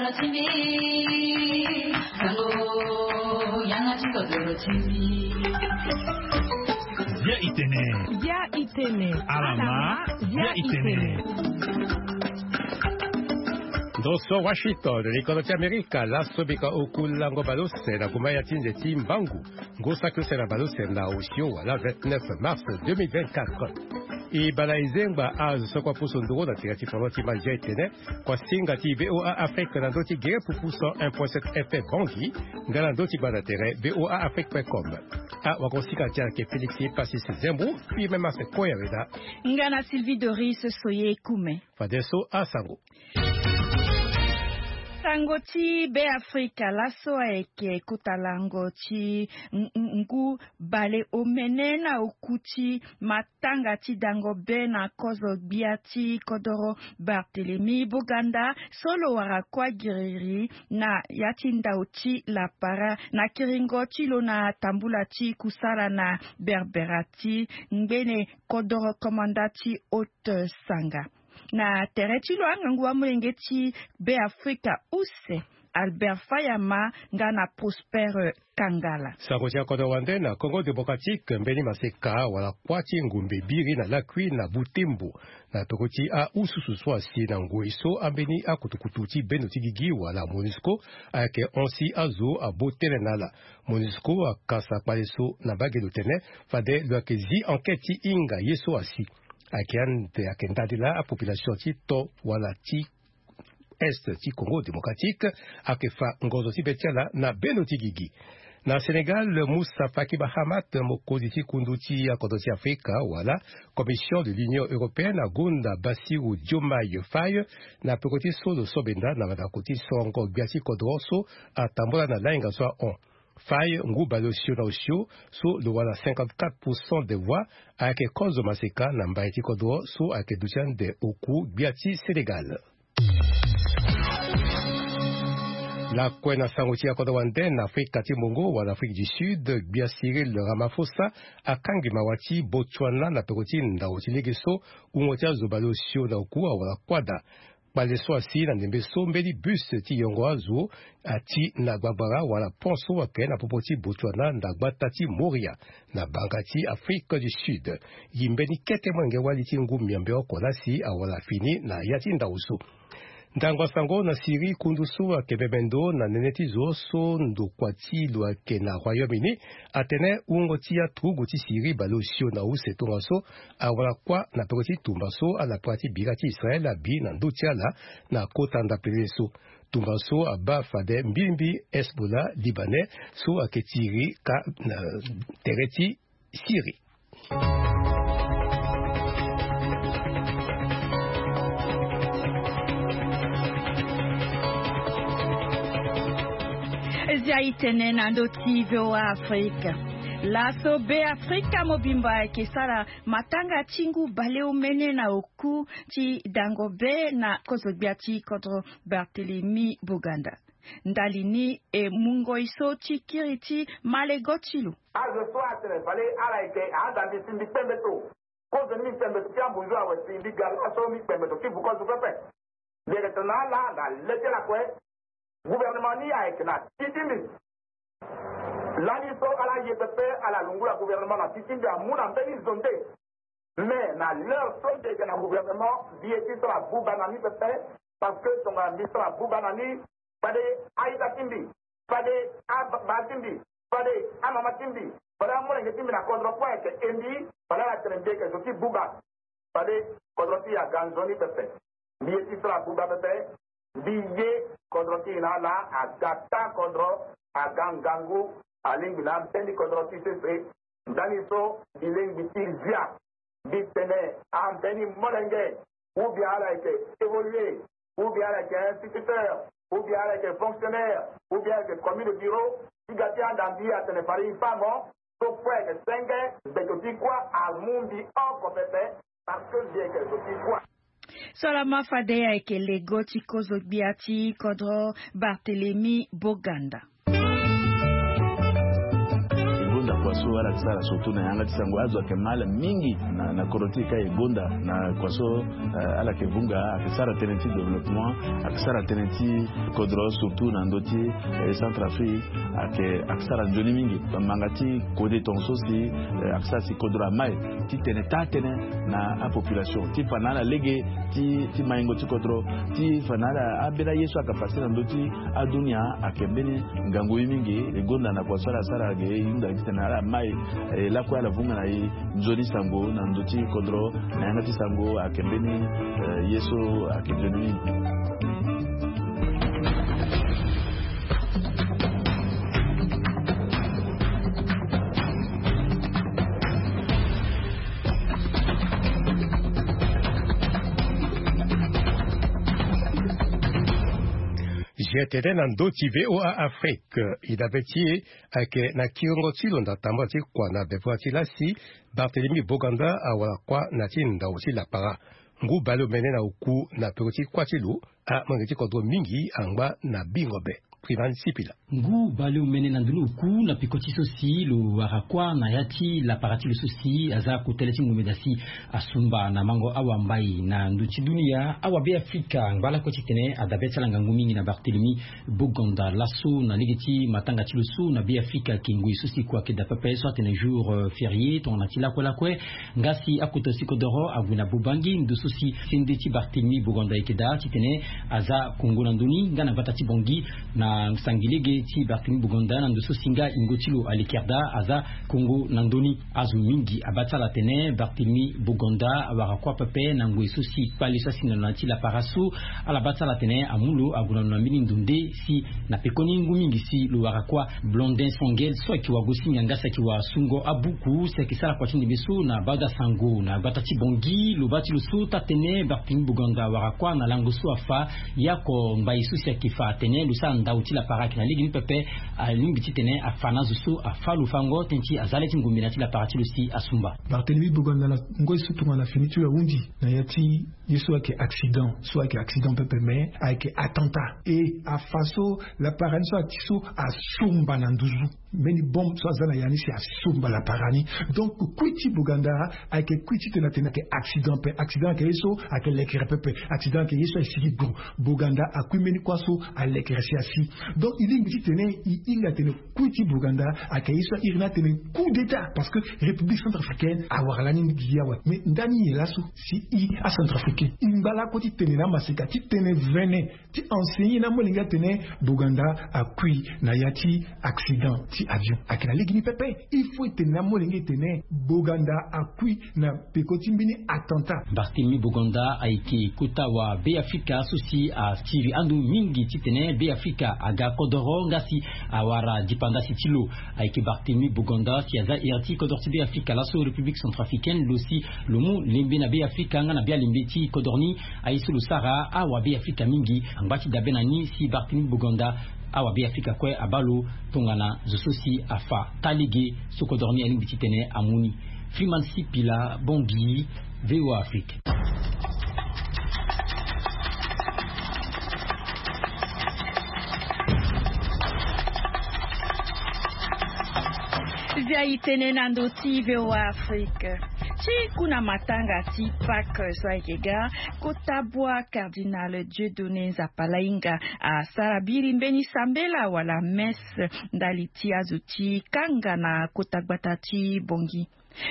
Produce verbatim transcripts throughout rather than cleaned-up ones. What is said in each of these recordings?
Bia itene. Bia itene. Alama. Bia itene. Ndo so Washington, likolo ti Amerika, laso bika oku lango balose na guma ya ti nze ti mbangu. Ngu saki use na balose na osio wala vingt-neuf mars deux mille vingt-quatre. E bala e zengba azo so kua pusu nduru na tira ti foro ti mandia etene. Kua singa ti V O A Afrique na ndö ti gere pupu cent un point sept F M Bangui, nga na ndö ti gbanda tere V O A Afrique point com. Ah, wakosinga ti ayeke Félix Passis Zembo, puis même Marcel Koyaweda. Nga na Sylvie Doris Soye Kume. Fadeso asango. Sango ti Beafrika laso ayeke kota lango ti n-, n-, ngu bale omene na oku ti matanga ti dango be na kozo gbia ti kodoro Barthélemy Boganda so lo wara kuâ giriri na ya ti ndau ti lapara na kiringo ti lo na tambula ti kusala na berbera ti ngbene kodoro komanda ti Haute Sanga. Na tere ti lo angangu amolenge ti Beafrika use Albert Fayama nga na Prosper Kangala. Sango ti akodro wande na Congo Démocratique, mbeni maseka wala kuâ ti ngumbe biri na lakui na Butembo, na toko ti aususu so asi na ngoi so ambeni akutukutu ti bendo ti gigi wala MONUSCO ayeke hon si azo abo tënë na ala. MONUSCO akasa kpale so na mbage lo tene fade lo yeke zi enquête ti hinga ye so asi. Ayeke ande ayeke ndali laa apopulation ti to wala ti est ti Congo Démocratique ayeke fa ngonzo ti be ti ala na bendo ti gigi. Na Sénégal, Moussa Faki Mahamat, mokonzi ti kundu ti akodro ti Afrika wala Commission de l'Union Européenne, agonda Bassirou Diomaye Faye na peko ti so lo so benda na mandako ti sorongo gbia ti kodro so atambula na lahinga so ahon. Faye, ngu baleosio na osio so lo wara cinquante-quatre pour cent des voix, ayeke kozo maseka na mbai ti kodro so ayeke duti ande oku gbia ti Sénégal. Lakue na sango ti akodro wande, na Afrika ti Mungo wala Afrique du Sud, gbia Cyril Ramaphosa akangi mawa ti Botswana na peko ti ndau ti lege so wungo ti azo baleosio na oku awara kuâ daa. Kpale so asi na ndembe so mbeni bus ti yongo azo ati na gbagbara wala pont so ayeke na popo ti Botswana na gbata ti Moria na banga ti Afrique du Sud. Gi mbeni kete molenge wali ti ngu miombe oko lasi awara fini na ya ti ndau so. Ndango asango na Syrie, kundu so ayeke bembe ndo na nene ti zo so ndokua ti lo ayeke na Royaume-Uni atene wungo ti aturugu ti Syrie baleosio na use tongaso awara kuâ na peko ti tumba so ala pua ti bira ti Israël abi na ndö ti ala na kota ndapelele so. Tumba so abaa fade mbilimbi Hezbollah libanais so ayeke tiri ka na tere ti Syrie. Zia itene na ndö ti V O A Afrika. Laso Beafrika mobimba ayeke sara matanga ti ngu baleomene na oku ti dango be na kozo gbia ti kodro Barthélemy Boganda. Ndali ni e mu ngoi so ti kiri ti malego ti lo. Azo so atene fade ala yeke ahanda mbi si mbi kpembe to. Kozo ni mbi kpembe to ti ambunzu awe si mbi ga laso mbi kpembe to ti vu kozo pepe. Mbi yeke tene na ala na le ti ala kue. Gouvernement ni ayeke na ti ti mbi. Lani so ala ye pepe ala lungula gouvernement na ti ti mbi amu na mbeni zo nde. Mais na l'heure so mbi yeke na gouvernement mbi ye ti sara buba na ni pepe. Parce que tongana mbi sara buba na ni, fade a-ita ti mbi, fade ababa ti mbi, fade amama ti mbi, fade amolenge ti mbi na kodro kue ayeke e mbi, fade ala tene mbi yeke zo ti buba. Fade kodro ti e aga nzoni pepe. Mbi ye ti sara buba pepe. Mbi ye kodro ti e na ala aga ta kodro, aga ngangu, alingbi na ambeni kodro ti sese. Ndani so mbi lingbi ti zia. Mbi tene ambeni molenge, ou bien ala yeke évoluer, ou bien ala yeke instituteur, ou bien ala yeke fonctionnaire, ou bien ala yeke commis de bureau, ti ga ti anda mbi atene fade e fa mo. So kue ayeke senge, mbeto ti kuâ amu mbi oko pepe, parce que mbi yeke zo ti kuâ. So lama fade ayeke lego ti kozo gbia ti kodro Barthélemy Boganda. Ngonda Kua so ala yeke sara surtout na yanga ti sango, azo ayeke mal mingi na, na kodro ti e ka e gonda na kua so, eh, ala yeke vunga, ayeke sara tënë ti développement, ayeke sara tënë ti kodro surtout na ndö ti, eh, Centrafrique, ayeke, ayeke sara nzoni mingi. Manga ti kode tongaso si, eh, ayeke sara si kodro amai titene taa tënë na apopulation ti fa na ala lege ti, ti maingo ti kodro, ti fa na ala ambeni aye so ayeke fa si na ndö ti adunia ayeke mbeni ngangu ye mingi. E gonda na kua so ala sara ge e hinga titene ala mai, eh, lakue ala vunga na e nzoni sango na ndö ti kodro na yanga ti sango ayeke mbeni, eh, ye so ayeke nzoni mingi. G T N na ndö ti V O A Afrique. E dabe ti e ayeke na kiringo ti lo na tambula ti kua na bevua ti lasi, Barthélemy Boganda awara kuâ na ti ndau ti lapara. Ngu baleomene na oku na peko ti kuâ ti lo, amolenge ti kodro mingi angba na bingo be. Privan Sipila. Ngu baleomene na ndö ni oku na peko ti so si lo wara kuâ na ya ti lapara ti lo so si aza kotele ti ngomeda si asumba na mango awambai na ndö ti dunia. Awabeafrika angba lakue titene adabe ti ala ngangu mingi na Barthélemy Boganda laso na lege ti matanga ti lo so na Beafrika ayeke ngoi so si kua ayeke daa pepe so atene jour, euh, férié tongana ti lakue lakue. Nga si akota ti kodoro ague na Bobangi ndo so si sende ti Barthélemy Boganda ayeke daa titene aza kongo na ndö ni nga na gbata ti Bangui na sangi lege ti Barthélemy Boganda na ndo so si nga yingo ti lo alekere daa aza kongo na ndö ni. Azo mingi abaa ti ala atene Barthélemy Boganda awara kuâ pepe na ngoi so si kpale so asi na lo na ya ti lapara so. Ala baa ti ala atene amu lo ague na lo na mbeni ndo nde si na pekoni ngu mingi si lo wara kuâ. Blondin Songel so ayeke wagosinga nga si ayeke wasungo abuku si ayeke sara kua ti ndembe so na bada sango na gbata ti Bangui lo baa ti lo so taa tënë Barthélemy Boganda awara kuâ na lango so afa. Ye oko mbai so si ayeke fa atene lo sara ndau ti lapara ayeke na lege ni pepe. Alingbi titene afa na azo so afa lo fango tënë ti aza le ti ngombe na ya ti lapara ti lo si asumba. Barthélemy Boganda na ngoi so tongana fini ti lo ahundi na ya ti ye so ayeke accident, so ayeke accident pepe mais ayeke attentat. E afa so lapara ni so ati so asumba na nduzu. Mbeni bombe so aza na ya ni si asumba lapara ni. Donc kui ti Boganda ayeke kui titene atene ayeke accident pe. Accident ayeke ye so ayeke lekere pepe. Accident ayeke ye so ayeke sigi gro. Boganda akui mbeni kuâ so alekere si asi. Donc e lingbi titene e hinga atene kui ti Boganda ayeke ye so airi ni atene coup d'état parce que République centrafricaine awara lani gi awe. Mais ndani nyen laso si e acentrafricain e ngba lakue ti tene na amaseka ti tene vene ti enseigner na amolenge atene Boganda akui na ya ti accident ti avion. Ayeke na lege ni pepe. Il faut e tene na amolenge e tene Boganda akui na peko ti mbeni attentat. Barthélemy Boganda ayeke kota wabeafrika so si asiri ando mingi titene beafrika aga kodoro nga si awara dipandasi ti lo. Ayeke Barthélemy Boganda si aza here ti kodoro ti Beafrika laso République centrafricaine lo si lo mu lembe na Beafrika nga na bialembe ti kodoro ni. Aye so lo sara awabeafrika mingi angba ti dabe na ni si Barthélemy Boganda awabeafrika kue abaa lo tongana zo so si afa taa lege so kodoro ni alingbi titene amu ni. Freeman Sipila, Bangui, V O A Afrique. Zia e tene na ndö ti V O A Afrique. Ti ku na matanga ti Pâques so ayeke ga, kota bua Cardinal Dieudonné Nzapalainga asara biri mbeni sambela wala messe ndali ti azo ti kanga na kota gbata ti Bangui.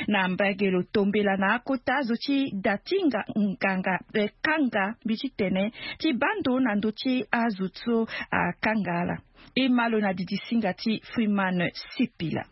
Na mbage lo tombela na akota azo ti da ti nga, nganga, eh, kanga mbi ti tene ti baa ndo na ndö ti azo so akanga ala. E ma lo na didisinga ti Freeman Sipila.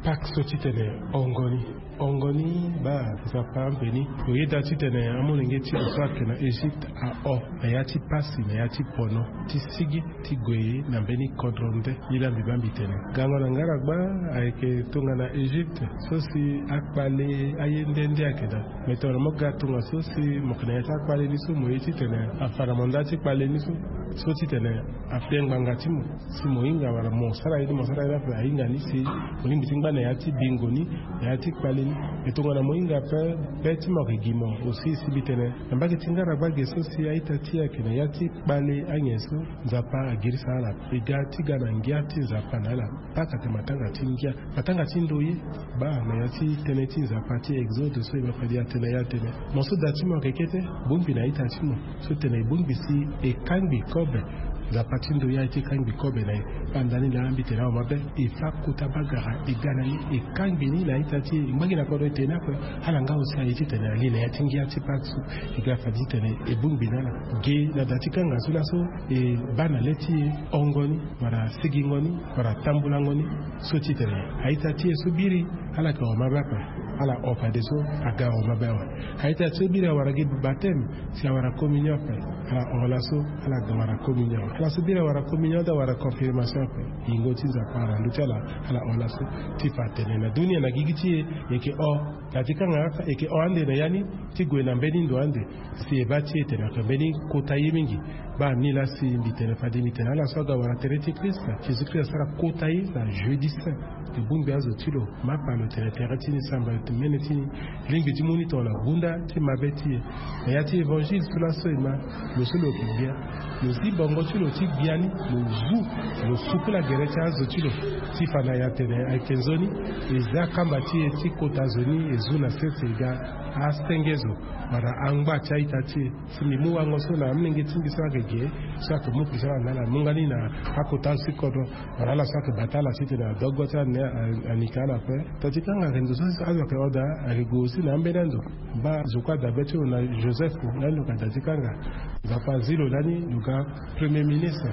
Pâques so titene hongo ni, hongo ni baa Nzapa ambeni. Lo yeda titene amolenge ti lo so ayeke na Egypte ahon na ya ti pasi, na ya ti pono ti sigi ti gue na mbeni kodro nde. Nilaa mbi baa mbi tene gango na nga ala gba ayeke tongana Egypte so si akpale aye nde nde ayeke daa. Me tongana mo ga tongaso si mo yeke na ya ti akpale ni so mo ye titene afa na mo nda ti kpale ni so, so titene afe ngbanga ti mo si mo hinga wala mo sara ye ni mo sara ye ni ape ahinga ni si mo lingbi ti Ngba na ya ti bingo ni, na ya ti kpale ni. E tongana mo hinga ape, be ti mo ayeke gi mo aussi si mbi tene na mbage ti ngara gbage so si a-ita ti e ayeke na ya ti kpale anyen so, Nzapa agirisa ala. E ga ti ga na ngia ti Nzapa na ala. Paka te matanga ti ngia, matanga ti ndoye. Baa na ya ti tënë ti Nzapa ti Exode so e ma fadi atene ya atene, mo so da ti mo ayeke kete, bongbi na a-ita ti mo. So tene e bongbi si e kangbi kobe. Nzapa ti ndoye aye ti kangbi kobe na e. Baa ndani laa mbi tene awe mabe. E fa kota bagara e ga na ni, e kangbi ni na a-ita ti e. E ngba gi na kodro e tene ni ape. Ala nga aussi aye ti tene ali na ya ti ngia ti Pâques so. E ga fadi titene e bongbi na ala. Ge na da ti kanga so laso e baa na le ti e hongo ni, wala sigingo ni, wala tambulango ni. So titene a-ita ti e so biri, ala yeke hon mabe ape. Ala hon fadeso aga hon mabe awe. A-ita ti so biri awara gi baptême, si awara communion ape, ala hon laso, ala ga wara communion awe. Ala so biri awara communion daa awara confirmation ape, yingo ti Nzapa na ndö ti ala, ala hon laso. Ti fa atene na dunia na gigi ti e, e yeke hon. Na ti kanga kaka e yeke hon ande na ya ni ti gue na mbeni ndo ande. Si e baa ti e tene ayeke mbeni kota ye mingi. Baa ni laa si mbi tene fade mbi tene ala so aga wara tere ti Christ, Jésus Christ asara kota ye na jeudi saint. E bongbi azo ti lo, ma pa lo tene tere ti ni, samba mene ti ni. Lingbi ti mu ni tongana gunda ti mabe ti e. Na ya ti évangile so laso e ma, lo so lo yeke gbia, lo zi bongo ti lo ti gbia ni, lo zu, lo sukula gere ti azo ti lo. Ti fa na e atene ayeke nzoni. E za kamba ti e ti kota zo ni, e zu na sese, e ga asenge zo wala angba ti a-ita ti e. Si mbi mu wango so na amolenge ti mbi so ayeke ge, so ayeke mu kpisa ala na ala, amu nga ni na akota azo ti kodro, wala ala so ayeke bata ala titene adogo ti ala ni, a- ani ka ala ape. Ta ti kanga ayeke ndo so azo ayeke hon daa, ayeke gue aussi na ambeni ando. Baa zo kue adabe ti lo na Joseph, lani lo yeke da ti kanga. Nzapa azi lo lani lo ga premier ministre.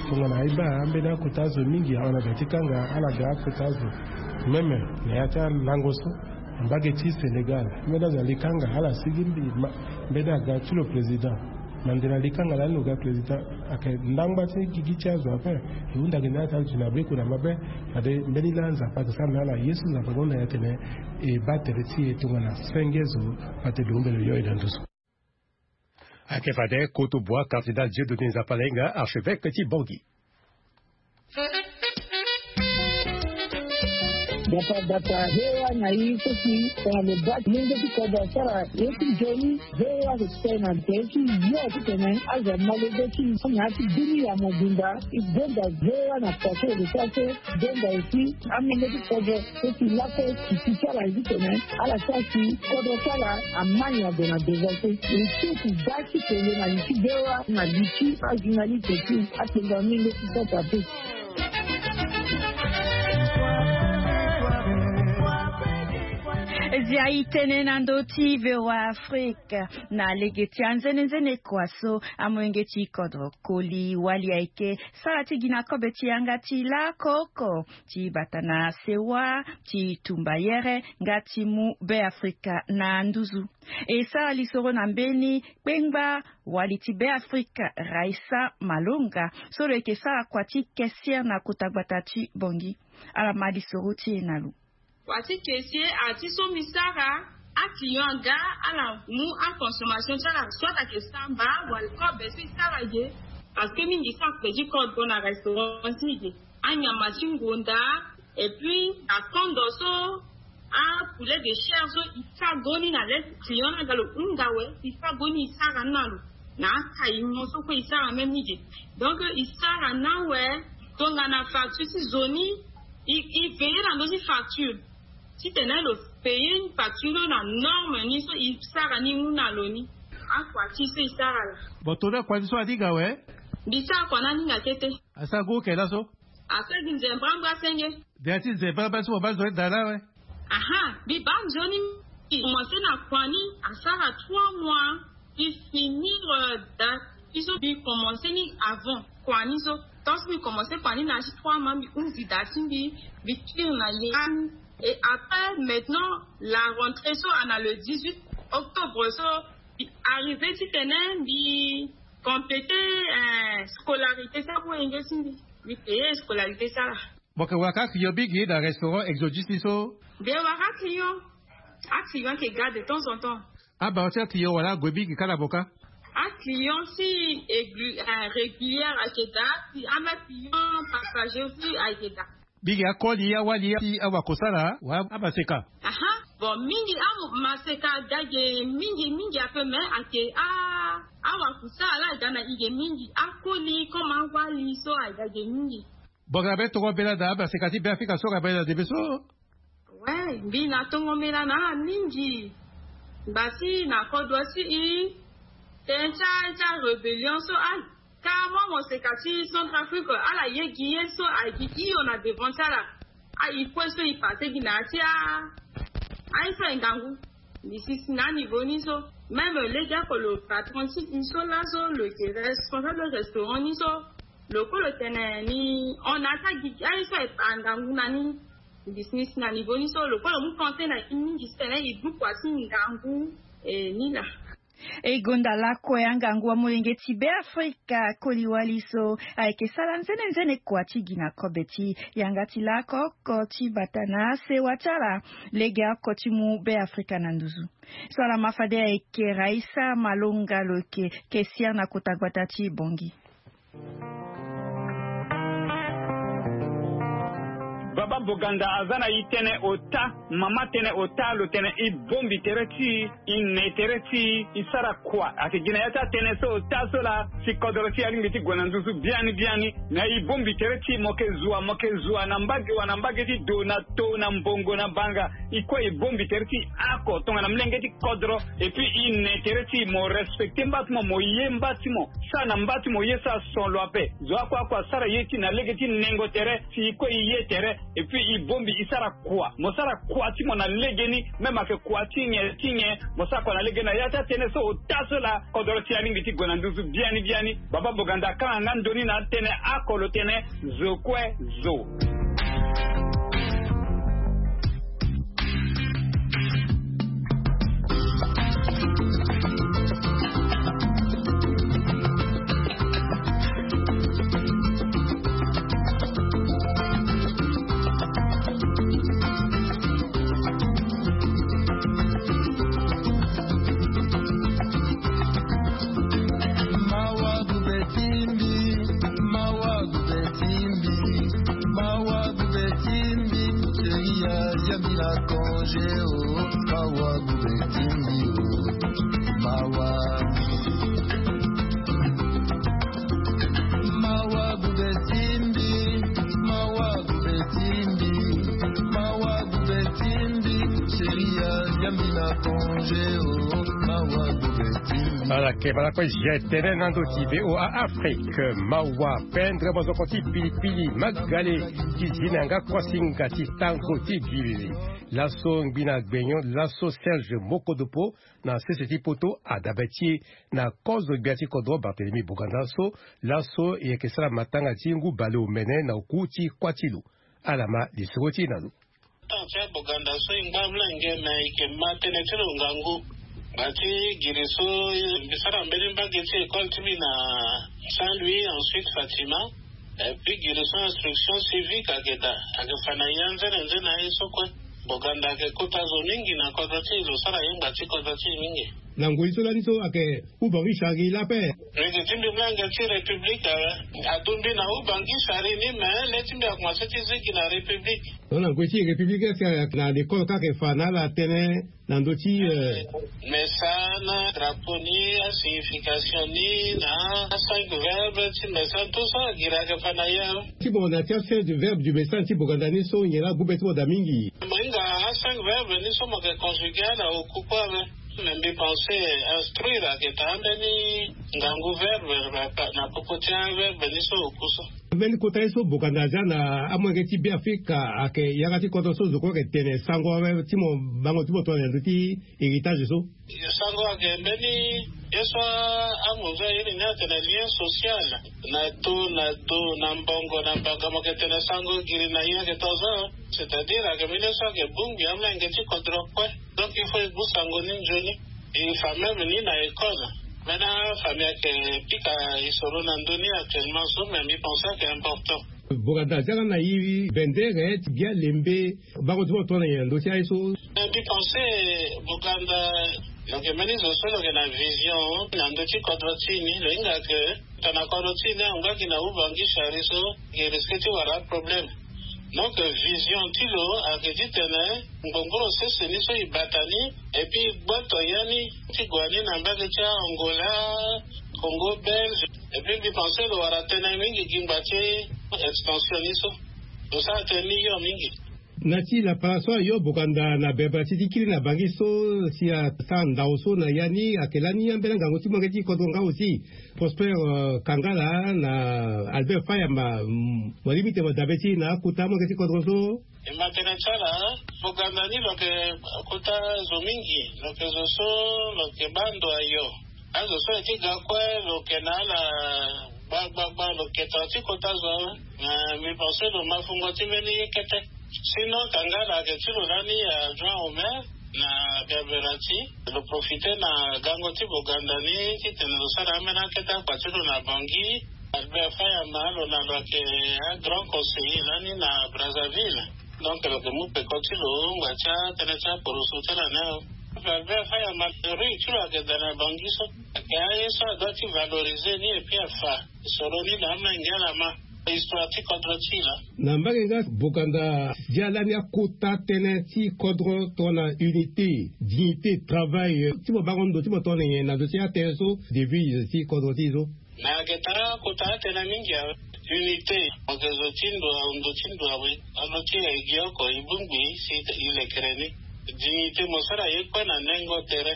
Tongana aye baa ambeni akota azo mingi ahon na da ti kanga, ala ga akota azo. Même na ya ti alango so, mbage ti Sénégal, mbeni azo ali kanga, ala sigi mbi ma, mbeni aga ti lo président. Mandela ali kanga lani lo ga président. Ayeke ndangba ti gigi ti azo ape. E hunda gi na ya ti azo ti na be kue na mabe. Fade mbeni laa Nzapa ayeke sara na ala ye so Nzapa ahunda na e atene e baa tere ti e tongana senge zo, fade lo hunda lo yo e na ndo so. Ayeke fade Koto Bois, cardinal Dieudonné Nzapalainga, archevêque ti Bangui. Data data, V O A na i so si tongana lo baa ti lenge ti kodro asara ye ti nzoni, V O A ayeke tene na tere ti yo titene azo amolenge ti na ya ti bini ya mobimba. E donda V O A na poto e lo sara so, donda aussi amolenge ti kodro so si laso e kiti ti ala ye titene ala sara si kodro ti ala ama nyon gue na devant so. E so e baa ti tene na li ti V O A na li ti ajournaliste ti akpengba mingi ti sota pe. Zia e tene na ndö ti V O A Afrique. Na lege ti anzenenzene kua so, amolenge ti kodro koli wali ayeke sara ti gi na kobe ti yanga ti lakoko ti bata na sewa ti tumba yere nga ti mu Beafrika na nduzu. E sara lisoro na mbeni kpengba wali ti Beafrika, Raissa Malonga, so lo yeke sara kua ti caissière na kota gbata ti Bangui. Ala ma lisoro ti e na lo. Kua ti caissière, a ti so mbi sara, aclient aga, ala mu aconsommation ti ala, soit ayeke samba wala kobe so e sara ge. Parce que mingi so akpe ti kodro na restaurant ti e ge, anyama ti ngonda, et puis akondo so, apoulet de chair so, e sara goni na le ti client ni aga lo hunda awe, e sara goni, e sara ni na lo. Na acaillement so kue e sara même ni ge. Donc e sara ni awe. Tongana facture ti zo ni, e, e veiller na ndö ti facture titene lo payer facture ni na norme ni so e sara ni mu na lo ni. Akua ti so e sara laa. Bon, tongana kua ti so aninga awe? Mbi sara kua ni aninga kete. Asara gue oke laso? Asara gi nzemba mbi asenge. Ndia ti nzemba mbi so mo baa nzoni daa laa awe? Aha, mbi baa nzoni. Mbi commencer na kua ni, asara trois mois. Mbi finir, euh, da ti so mbi commencer ni avant kua ni so. Tant so mbi commencer kua ni na ya ti trois mois, mbi hunzi da ti mbi, mbi cuire na ya ni. Et après, maintenant, la rentrée so ana le dix-huit octobre so, mbi arriver titene mbi compléter, euh, scolarité so, wenge ti mbi, mbi payer scolarité so laa. Mo yeke wara kâ client mingi na restaurant Exodus ni so? Mbi yeke wara client. Aclient ayeke ga de temps en temps. Abaa ti aclient wala ague mingi kâ na mo kâ? Aclient si aigu-, euh, régulière ayeke daa, si ama client passager aussi ayeke daa. Bigi akoli awali ti awakusala wa abaseka. Aha. Bon, mingi amaseka dage mingi mingi ape, me ake a awakusala la dana ige mingi akoli koma awali so adage mingi. Bogara be tongo bela da abaseka ti be afrika so ga bela de be so. We, mbi na tongo mela na mingi. Mbasi na kodro si i ten tia tia rébellion so ai. Ka mo moseka ti centrafrique ala ye gi ye so ai gi iyo na devant ti ala. Ai kue so i pase gi na ya ti a ai so ai ngangu. Mbi sisi na niveau ni so même lege ako lo patron ti i so laso lo yeke responsable restaurant ni so. Lo kue lo tene ni hon na ya ti agigi ai so ai pa ngangu na ni. Mbi sisi na niveau ni so lo kue lo mu conseil na i mingi si tene i gbu kua ti ngangu. E ni laa. E gonda lakue angangu amolenge ti be afrika koli wali so ayeke sala nzene nzene kua ti gi na kobe ti yanga ti lako oko ti bata na asewa ti ala. Lege oko ti mu be afrika na nduzu. So ala ma fade ayeke raisa malonga lo yeke kesia na kota gbata ti bongi. Baba boganda aza na i tënë ota. Mama tënë ota lo tene i bombi tere ti i i ne tere ti i i sara kua ake gi na ya ti atënë so ota so laa. Si kodoro ti alingbi ti gue na nduzu biani biani. Na i bombi tere ti i mo ke zua mo ke zua na mbage wa na mbage ti do na to na mbongo na banga. I kue i bombi tere ti i ako tongana mlenge ti kodro. Epui i ne tere ti i mo respecte mba ti mo mo ye mba ti mo. Sara na mba ti mo ye sara son lo ape. Zo akua akua sara ye ti na lege ti nengo tere si i kue i ye tere. Epui i bombi i sara kua mo sara kua ti mo na legeni. Même ake kua ti nyen ti nyen mo sara kua na legeni na ya ti atënë so ota so laa. Kodoro ti alingbi ti gue na nduzu biani biani. Baba boganda akanga nga ndoni na atënë ako lo tene. Zo kue zo. Ala kebala kue je tene na ndo ti voa afrique mawa pendre mozoko ti pilipili magale ti zi na yanga kuasinga ti tango ti gilili. Laso ngbi na gbenyo laso serge mokodopo na sese ti poto adabe ti e na kozo gbia ti kodro bartelemi boganda so. Laso e yeke sara matanga ti ngu baleomene na oku ti kuâ ti lo. Ala ma lisoro ti e na lo. Tan ti aboganda so e ngba mlenge me e yeke ma tënë ti lo ngangu. Ngbanga ti giri so mbi sara mbeni mbage ti école ti mbi na saint louis ensuite fatima. Epui giri so instruction civique ayeke daa ayeke fa na ya nzene nzene na ye so kue. Boganda ayeke kota zo mingi na kodro ti e lo sara ye ngbanga ti kodro ti e mingi. Na ngoi so lani so ayeke ubangi sari lape. Rege ti mbi mlenge ti république awe. Adumbi na ubangi sari ni me le ti mbi akomanse ti zigi na république. Lo na ngoi ti république est ce que na lekole kaka e fa na ala tënë na ndö ti message na drapeau ni asignification ni na acinq verbe ti message tout ça agiri ayeke fa na ye. Ti mo na ti acinq du verbe du message ti boganda ni so nyen la gbu be ti mo daa mingi. Mo hinga acinq verbe ni so mo yeke conjuguer ala oku kue ave. Me mbi pense instruire ayeke daa ambeni ngangu verbe na popo ti averbe ni so oku so. Mbeni kota ye so boganda aza na amolenge ti be afrika ayeke yanga ti kodro so zo kue ayeke tene sango awe ti mo bango ti mo tongana na ndö ti héritage so. Sango ayeke mbeni ye so amozo aye ni ni atene lien social. Na do na do na mbongo na mbanga mo yeke tene sango giri na ye ayeke tonzo. C'est-à-dire ayeke mbeni ye so ayeke bongbi amolenge ti kodro kue. Donc il faut e gbu sango ni nzoni. E fa même ni na école. Mena famille ayeke pika e soro na ndö ni actuellement so mais mbi pense ayeke important. Boganda aza nga na iri bendere ti bia lembe. Bango ti mo tongana nyen na ndö ti aye so. Mbi pense boganda lo yeke mbeni zo so lo yeke na vision na ndö ti kodro ti e ni lo hinga ke. Tongana kodro ti e ni angba gi na ubangi sari so. Gi risque ti wara aproblème. Donc vision ti lo ayeke titene ngbongboro sese ni so e bata ni, et puis e gboto ya ni ti gue ni na mbage ti Angola, Congo Belge. Et puis mbi pense lo wara tënë mingi gi ngba ti extension ni so. Lo sara tënë ni yo mingi. Na ti lapara so ayo Boganda na bebela ti ti kiri na bangi so si asara ndau so na ya ni ayeke lani ambeni angangu ti molenge ti kodro nga aussi Prosper Kangala na Albert Fayamba. Mo lingbi tene mo dabe ti na akota molenge ti kodro so? E ma tene ti ala, Boganda ni lo yeke kota zo mingi, lo yeke zo so lo yeke baa ndo ayo. Azo so aye ti ga kue lo yeke na ala gbagbagba, lo yeke tara ti kota zo awe. Mais mbi pense lo ma fungo ti mbeni ye kete. Sinon Kangala ayeke ti lo lani adjoint au maire na Berbera ti lo profite na gango ti Boganda ni titene lo sara ambeni akete akpa ti lo na Bangui. Albert Fayamba lo na lo ayeke agrand conseiller lani na Brazzaville. Donc lo yeke mu peko ti lo ngba ti atënë ti aporoso ti ala ni awe. Albert Fayamba rue ti lo ayeke daa na Bangui so. Ayeke aye so adoit ti valoriser ni et puis afa soro ni na amenge ala ma histoire ti kodro ti e laa. Na mbage nga Boganda dia lani akota tënë ti kodro tongana unité, dignité, travail ti mo bango ndo ti mo tongana nyen na ndo ti atënë so, devise ti kodro ti e so? Na yeke taa kota atënë mingi awe. Unité, mo yeke zo ti ndo awe, ndo ti ndo awe. Ando ti e gi oko e bongbi si e lekere ni. Dignité, mo sara ye kue na nengo tere.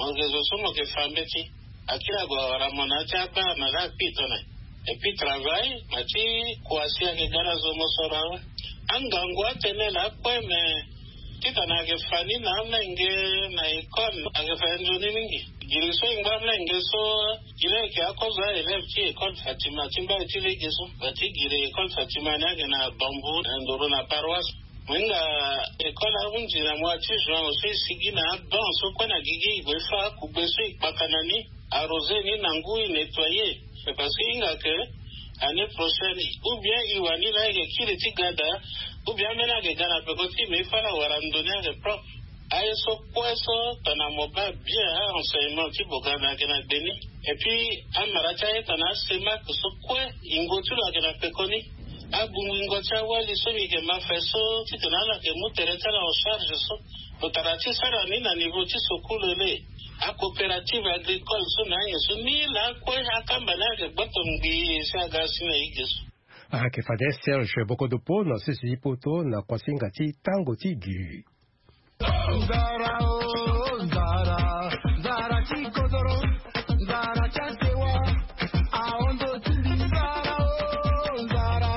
Mo yeke zo so mo yeke fa mbeti. Akiri ague awara mo na ya ti akpara na laa akpi tone. Et puis travail ma ti kua si ayeke ga na zo mo soro awe. Angangu atënë laa kue me titene ayeke fa ni na amenge na école ayeke fa nzoni mingi. Giri so e ngba amenge so, giri ayeke akozo aélève ti école Fatima ti mbai ti lege so. Ba ti giri école Fatima ni ayeke na Bambou na nduru na paroisse. Mo hinga école ahunzi na mois ti juin so e sigi na abanc so kue na gigi e gue e fa akugbe so e kpaka na ni, arroser ni na ngu, e nettoyer. C'est parce que e hinga ke année prochaine ou bien e wani laa e yeke kiri ti ga daa, ou bien ambeni ayeke ga na peko ti e me e fa ala wara ndo ni ayeke propre. Aye so kue so tongana mo baa bien a-enseignement ti Boganda ayeke na gbe ni. Et puis amara ti aye tongana asemak so kue yingo ti lo ayeke na peko ni. Agungu yingo ti awali so mi yeke ma fa so titene ala yeke mu tere ti ala en charge so. Lo tara ti sara ni na niveau ti sokulu le. Acoopérative agricole so na anyen so ni laa kue akamba ni ayeke gboto ngbii si aga asi na ige so. Ayeke fade Serge Bokodopo na sese ti poto na kuasinga ti tango ti gi. Nzara o nzara, nzara ti kodoro, nzara ti asewa, ahondo ti mbi nzara o nzara,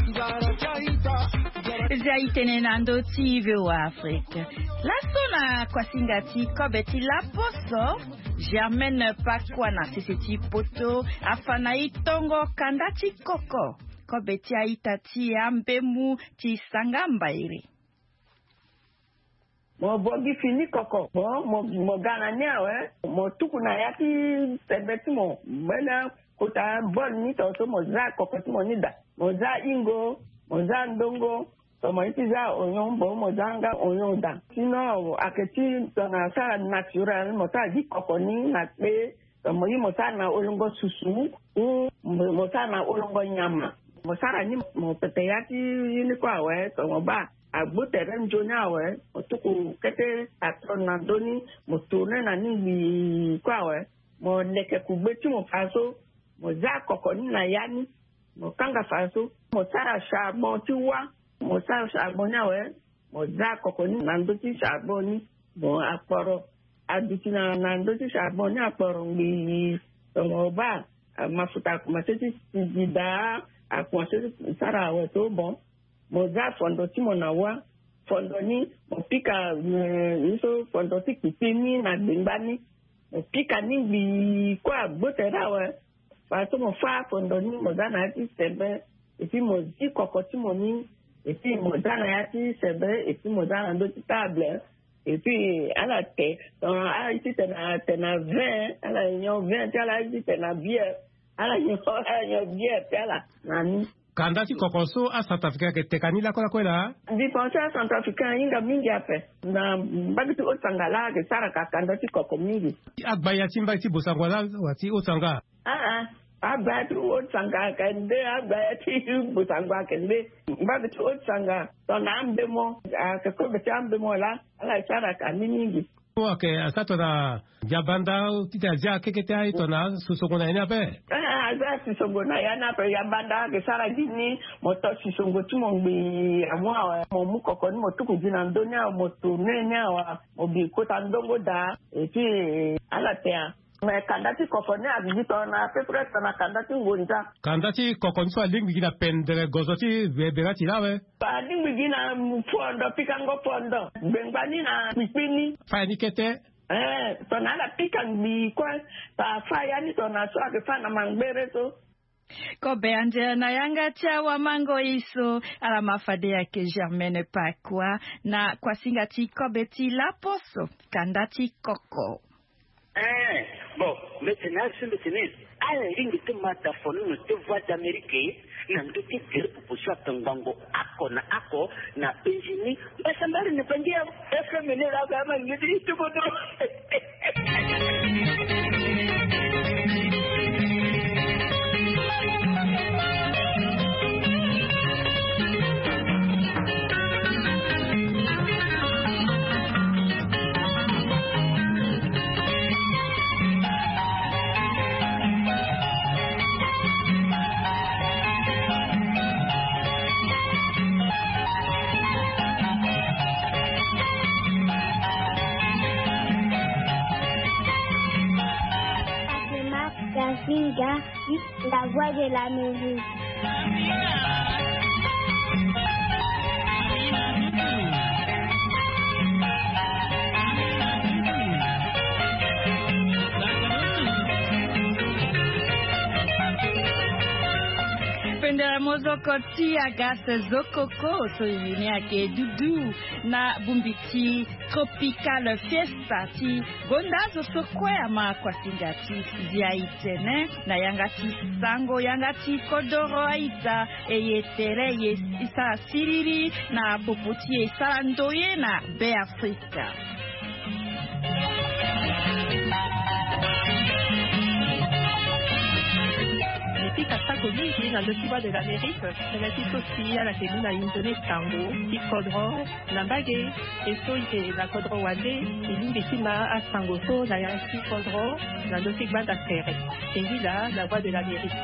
nzara ti aita. Zia itene na ndö ti V O A Afrique. Laso na kuasinga ti kobe ti laposo, Germaine Pakua na sese ti poto afa na e tongo kanda ti koko, kobe ti aita ti ambemu ti Sanga Mbairi. Mo bongi fini koko. Bon, mo, mo ga na ni awe, mo tuku na ya ti sembe ti mo. Mbeni akota bol ni tongaso mo za koko ti mo ni daa. Mo za ingo, mo za ndongo, to mo ye ti za oignon, bon, mo za nga oignon daa. Sinon ayeke ti tongana asara naturel, mo sara gi koko ni na kpe. Mo ye mo sara na olongo susu, ou mo sara na olongo nyama. Mo sara ni, mo pepe ya ti ye ni kue awe, to mo baa agbu tere nzoni awe, mo tuku kete patron na ndö ni, mo tourne na ni ngbii kue awe. Mo leke kugbe ti mo fadeso, mo za koko ni na ya ni, mo kanga fadeso. Mo sara charbon ti wa, mo sara charbon ni awe, mo za koko ni na ndö ti charbon ni. Bon, akporo aduti na, na ndö ti charbon ni akporo ngbii. Tongana mo baa mafuta akomanse ti sigi daa, akomanse ti sara awe so, bon, mo za fondo ti mo na wa. Fondo ni mo pika, eh, ye so fondo ti kpikpi ni na gbengba ni. Mo pika ni ngbii kue agbo tere awe. Fadeso mo fâ fondo ni, mo za na ya ti sebe, et puis mo zi koko ti mo ni, et puis mo za na ya ti sebe, et puis mo za na ndö ti table, et puis ala te, ala ye ti tene, tene na vin, ala nyon vin ti ala, ala ye ti tene na bière, ala nyon, ala nyon bière ti ala na ni. Kanda ti koko so acentrafricain ayeke teka ni lakue lakue laa? Mbi pense acentrafricain ahinga mingi ape. Na mbage ti Haut-Sangha laa ayeke sara ka kanda ti koko mingi. Agbaya ti mbage ti Bossangoa laa wala ti Haut-Sangha? Aa, Agbaya ti Haut-Sangha ayeke nde, agbaya ti Bossangoa ayeke nde. Mbage ti Haut-Sangha tongana ambemo ayeke kobe ti ambemo laa, ala sara ka ni mingi. Oke, asa tongana Yabanda titene azia keke ti aye tongana asosongo na ya ni ape. Eh, azia sisongo na ya ni ape. Yabanda ayeke sara gi ni, mo to sisongo ti mo ngbii amu awe, mo mu koko ni mo tuku gi na ndö ni awe, mo tourne ni awe, mo bi kota ndongo daa. Et puis, eh, ala tea. Mais kanda ti koko ni abi gi tongana à peu près tongana kanda ti ngonza. Kanda ti koko ni so alingbi gi na pendere gozo ti bebera ti laa awe. Alingbi gi na fondo, pikango fondo, gbengba ni na kpikpi ni. Fâ ni kete. Eh, tongana ala pika ngbii kue, pa fâ ya ni tongana so ayeke fâ na mangbere so. Kobe anzere na yanga ti awamangoi so, ala ma fade ayeke Germaine Pakua na kuasinga ti kobe ti laposo, kanda ti koko. Eh, bon, mbeti na azo mbeti ni, ala lingbi ti ma da fonono ti Voix d'Amérique na ndö ti gere popo so ayeke ngbongo oko na oko na penzi ni. Mbasambala na Bandia, F M ni laa, ba ma ngeti ti kodro. Kasinga, la voix de l'Amérique. Pendere mozoko ti Agathe Zokoko so ye ni ayeke dudu na bongbi ti Tropical Fiesta ti gonda azo so kue ama kuasinga ti zia e tene na yanga ti sango, yanga ti kodoro a-ita, e ye tere, e ye sara siriri na popo ti e sara ndoye na Be Afrika. Mbi pika sako mingi na ndö ti Voix de l'Amérique, tënë ti so si ala yeke mu na inzo ni sango ti kodro. Na mbage, e so e yeke na kodro wande, e lingbi ti ma asango so na ya ti kodro na ndö ti gbanda tere. Singila, la voix de l'Amérique.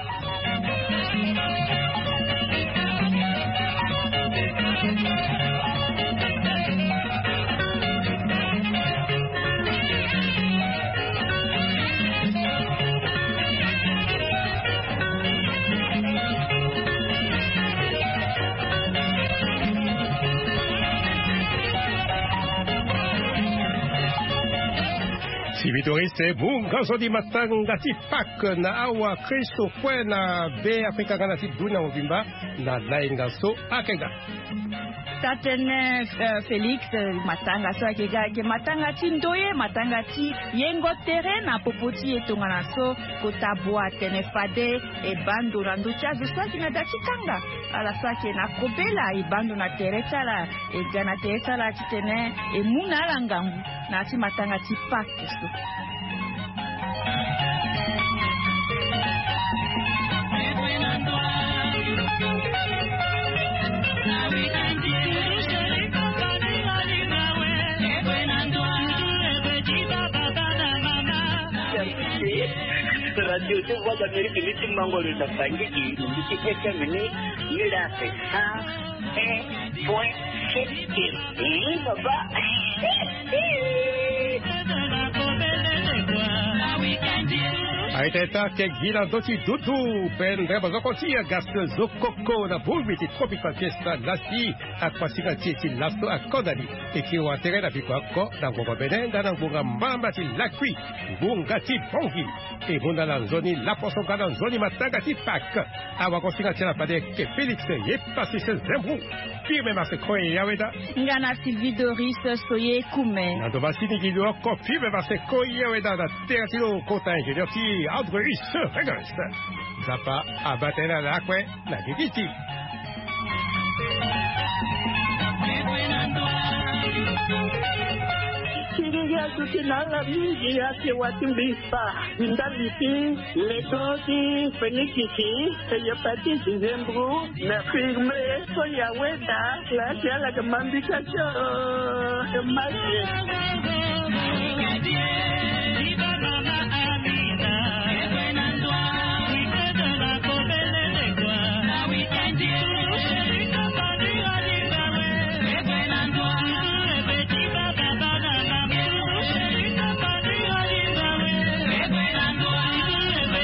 Sivitoriste, mu nga so di matanga ti Pâques na awa Kristo kue na Be Afrika nga na ti dunia mobimba na lainga so ayeke ga. Tatene, eh, Félix, eh, matanga so ayeke ga ayeke matanga ti ndoye, matanga ti yengo tere na popo ti e tongana so kota bua atene fade e baa ndo na ndö ti azo so ayeke na da ti kanga. Ala so ayeke na kobela e baa ndo na tere ti ala, e ga na tere ti ala titene e mu na ala ngangu na ya ti matanga ti Pâques so. Radio ti Voix d'Amérique ni ti mango lo na Bangui, ni ti F M ni, ni la fait cent un point sept. Ih, baba. Aita, aita, ke gi na ndö ti dudu, pendere mozoko ti Agathe Zokoko na bongbi ti Tropical Fiesta lasi, akuasinga ti e ti laso akodani. E ke wa tere na biko oko na ngbonga bene nga na ngbonga mbamba ti lakui, ngbonga ti Bangui. E mu na ala nzoni laposo nga na nzoni matanga ti Pâques. Awagosinga ti ala fade ayeke Félix Yepasise Zembrou. Firme masse kue ya weda. Nga na Sylvie Doris Soye Kume. Na ndo masini gi lo oko firme masse kue ya weda na tere ti lo kota ingénieur ti Andreus Regis. Nzapa abaa tënë na lakue na gigi ti. Ti gigi aduti na ala mingi ake wa ti mbi spa. Ti ndali ti leto ti fenikisi, hépatite, zembro, na firme, so ya weda la ti ala ke mambika ti o. Masi.